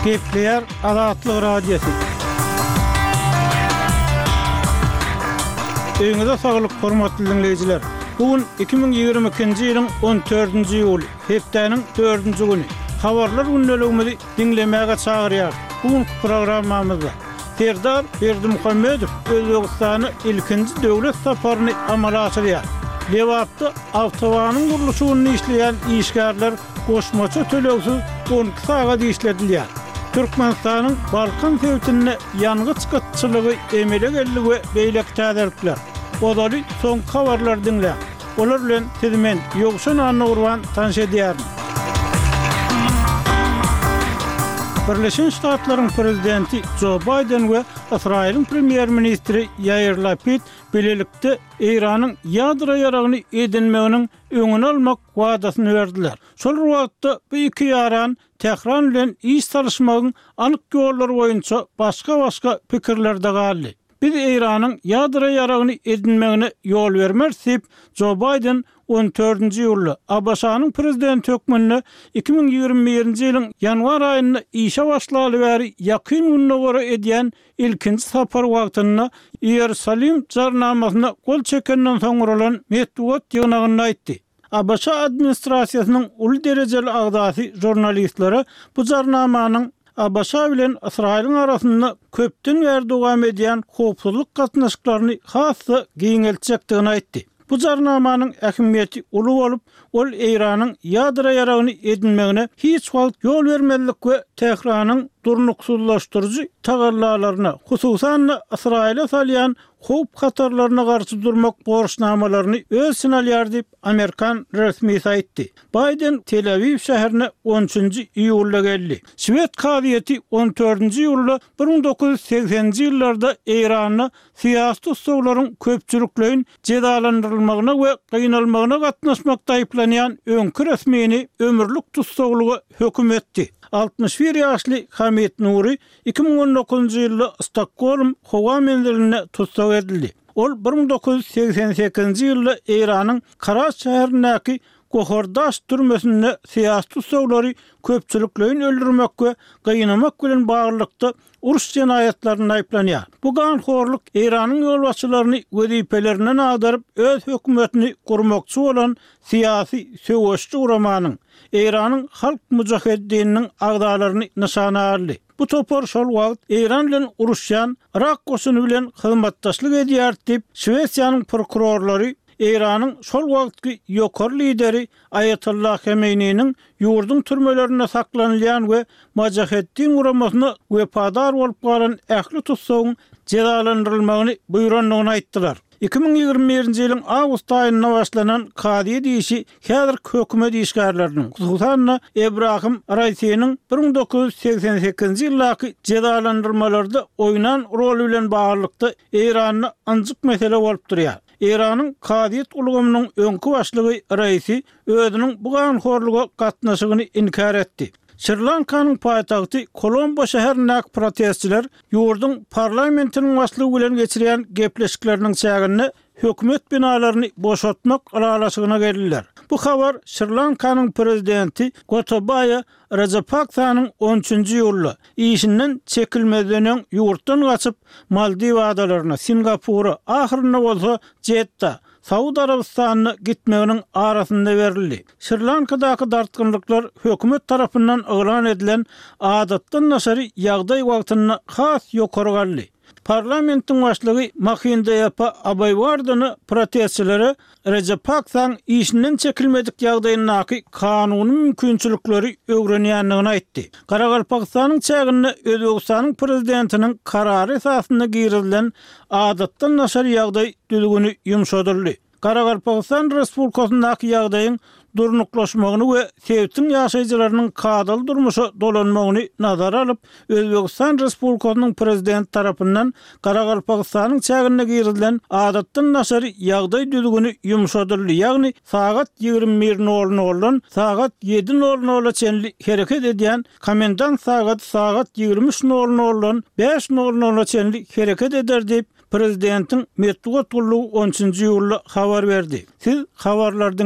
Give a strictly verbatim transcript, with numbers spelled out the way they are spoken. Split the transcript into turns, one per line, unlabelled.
Gepleýär Azatlyk Radiosy. Öýüňize saglyk, hormatly diňleýjiler. Bu gün iki müň ýigrimi ikinji ýylyň on dördünji iýuly, hepdäniň dördünji güni. Habarlar gündeligimizi diňlemäge çagyrýarys. Bu günki programmamyzda Serdar Berdimuhamedow Özbegistana ilkinji döwlet saparyny amala aşyrýar. Lebapda awtobanyň gurluşygynda işleýän işgärler goşmaça tölegsiz on iki sagat işledilýär. Türkmenistanyň Balkan sebitinde ýangyç gytçylygy emele geldi we beýleki täzelikler. Ozaly soňky habarlary diňläň. Olar bilen sizi men, Ýowşan Annagurban tanyş edýärin. Birleşen Ştatlaryň prezidenti Jo Baýden we Ysraýylyň premýer-ministri Ýair Lapid bilelikde Eýranyň ýadro ýaragyny edinmeginiň öňüni almak wadasyny berdiler. Şol bir wagtda bu iki ýaran Tähran bilen iş salyşmagyň anyk ýollary boýunça başga-başga pikirlerde galdy. Biz Eýranyň ýadro ýaragyny edinmegine ýol bermeris diýip, Jo Baýden on dördünji iýulda ABŞ-nyň prezidenti hökmünde iki müň ýigrimi birinji ýylyň ýanwar aýynda işe başlaly bäri Ýakyn Gündogara edýän ilkinji sapary wagtynda Iýerusalim jarnamasyna gol çekenden soň guralan metbugat ýygnagynda aýtdy. ABŞ administrasiýasynyň uly derejeli agzasy žurnalistlere bu jarnamanyň ABŞ bilen Ysraýylyň arasynda köpden bäri dowam edýän howpsuzlyk gatnaşyklaryny has-da giňeltjekdigini aýtdy. Bu jarnamanyň ähmiýeti uly bolup, ol Eýranyň ýadro ýaragyny edinmegine hiç wagt ýol bermezlik we Tähranyň durnuksyzlaşdyryjy tagallalaryna, hususan-da Ysraýyla salýan howp-hatarlaryna garşy durmak borçnamalaryny öz içine alýar diýip, amerikan resmisi aýtdy. Baýden Tel-Awiw şäherine on üçünji iýulda geldi. Şwed kazyýeti on dördünji iýulda bir müň dokuz ýüz segseninji ýyllarda Eýranda syýasy tussaglaryň köpçülikleýin jezalandyrylmagyna we gynalmagyna gatnaşmakda aýyplanýan öňki resmini ömürlik tussaglyga höküm etdi. Altmyş bir ýaşly Hamid Nuri iki müň on dokuzynjy ýylda Stokgolm howa menzilinde tussag edildi. Ol bir müň dokuz ýüz segsen sekizinji ýylda Eýranyň Karaj şäherindäki Gohardaş türmesinde syýasy tussaglary köpçülikleýin öldürmek we gynamak bilen baglylykda uruş jenaýatlarynda aýyplanýar. Bu ganhorluk Eýranyň ýolbaşçylaryny wezipelerinden agdaryp, öz hökümetini gurmakçy bolan syýasy söweşçi guramanyň, Eýranyň Halk Mujaheddininiň agzalaryny nyşana aldy. Bu topar şol wagt Eýran bilen uruşýan Yrak goşuny bilen hyzmatdaşlyk edýärdi diýip, Şwesiýanyň prokurorlary Eýranyň şol wagtky ýokary lideri Aýatollah Hemeýniniň ýurduň türmelerinde saklanylýan we Mojaheddin guramasyna wepadar bolup galan ähli tussagyň jezalandyrylmagyny buýrandygyny aýtdylar. Iki müň ýigrimi birinji ýylyň awgust aýynda başlanan kazyýet işi häzirki hökümet işgärleriniň, hususan-da, Ebrahim Raisiniň bir müň dokuz ýüz segsen sekizinji ýyldaky jezalandyrmalarda oýnan roly bilen baglylykda Eýranda ynjyk mesele bolup durýar. Eýranyň kazyýet ulgamynyň öňki başlygy Raisi özüniň bu ganhorluga gatnaşygyny inkär etdi. Şri-Lankanyň paýtagty Kolombo şäherindäki protestçiler ýurduň parlamentiniň başlygy bilen geçirýän gepleşikleriniň çäginde hökümet binalaryny boşatmak ylalaşygyna geldiler. Bu habar Şri-Lankanyň prezidenti Gotabaýa Rajapaksanyň on üçünji iýulda işinden çekilmezden öň ýurtdan gaçyp, Maldiw adalaryna, Singapura, ahyrynda bolsa Jedda, Saud Arabystanyna gitmeginiň arasynda berildi. Şri-Lankadaky dartgynlyklar hökümet tarapyndan yglan edilen adatdan daşary ýagdaý wagtynda has ýokary galdy. Parlamentiň başlygy Mahinda Ýapa Abaýwardena protestçilere Rajapaksaň işinden çekilmedik ýagdaýyndaky kanuny mümkinçilikleri öwrenýändigini aýtdy. Garagalpagystanyň çäginde Özbegistanyň prezidentiniň karary esasynda girizilen adatdan daşary ýagdaý düzgüni ýumşadyldy. Garagalpagystan Respublikasyndaky ýagdaýyň durnuklaşmagyny we sebitiň ýaşaýjylarynyň kadaly durmuşa dolanmagyny nazara alyp, Özbegistan Respublikasynyň Prezidenti tarapyndan Garagalpagystanyň çäginde girizilen adatdan daşary ýagdaý düzgüni ýumşadyldy, ýagny sagat ýigrimi bir nol noldan sagat ýedi nol nola çenli hereket edýän komendant sagady sagat ýigrimi üç nol noldan bäş nol nola çenli hereket eder diýip, Prezidentiň metbugat gullugy on üçünji iýulda habar berdi. Siz habarlary diňlediňiz.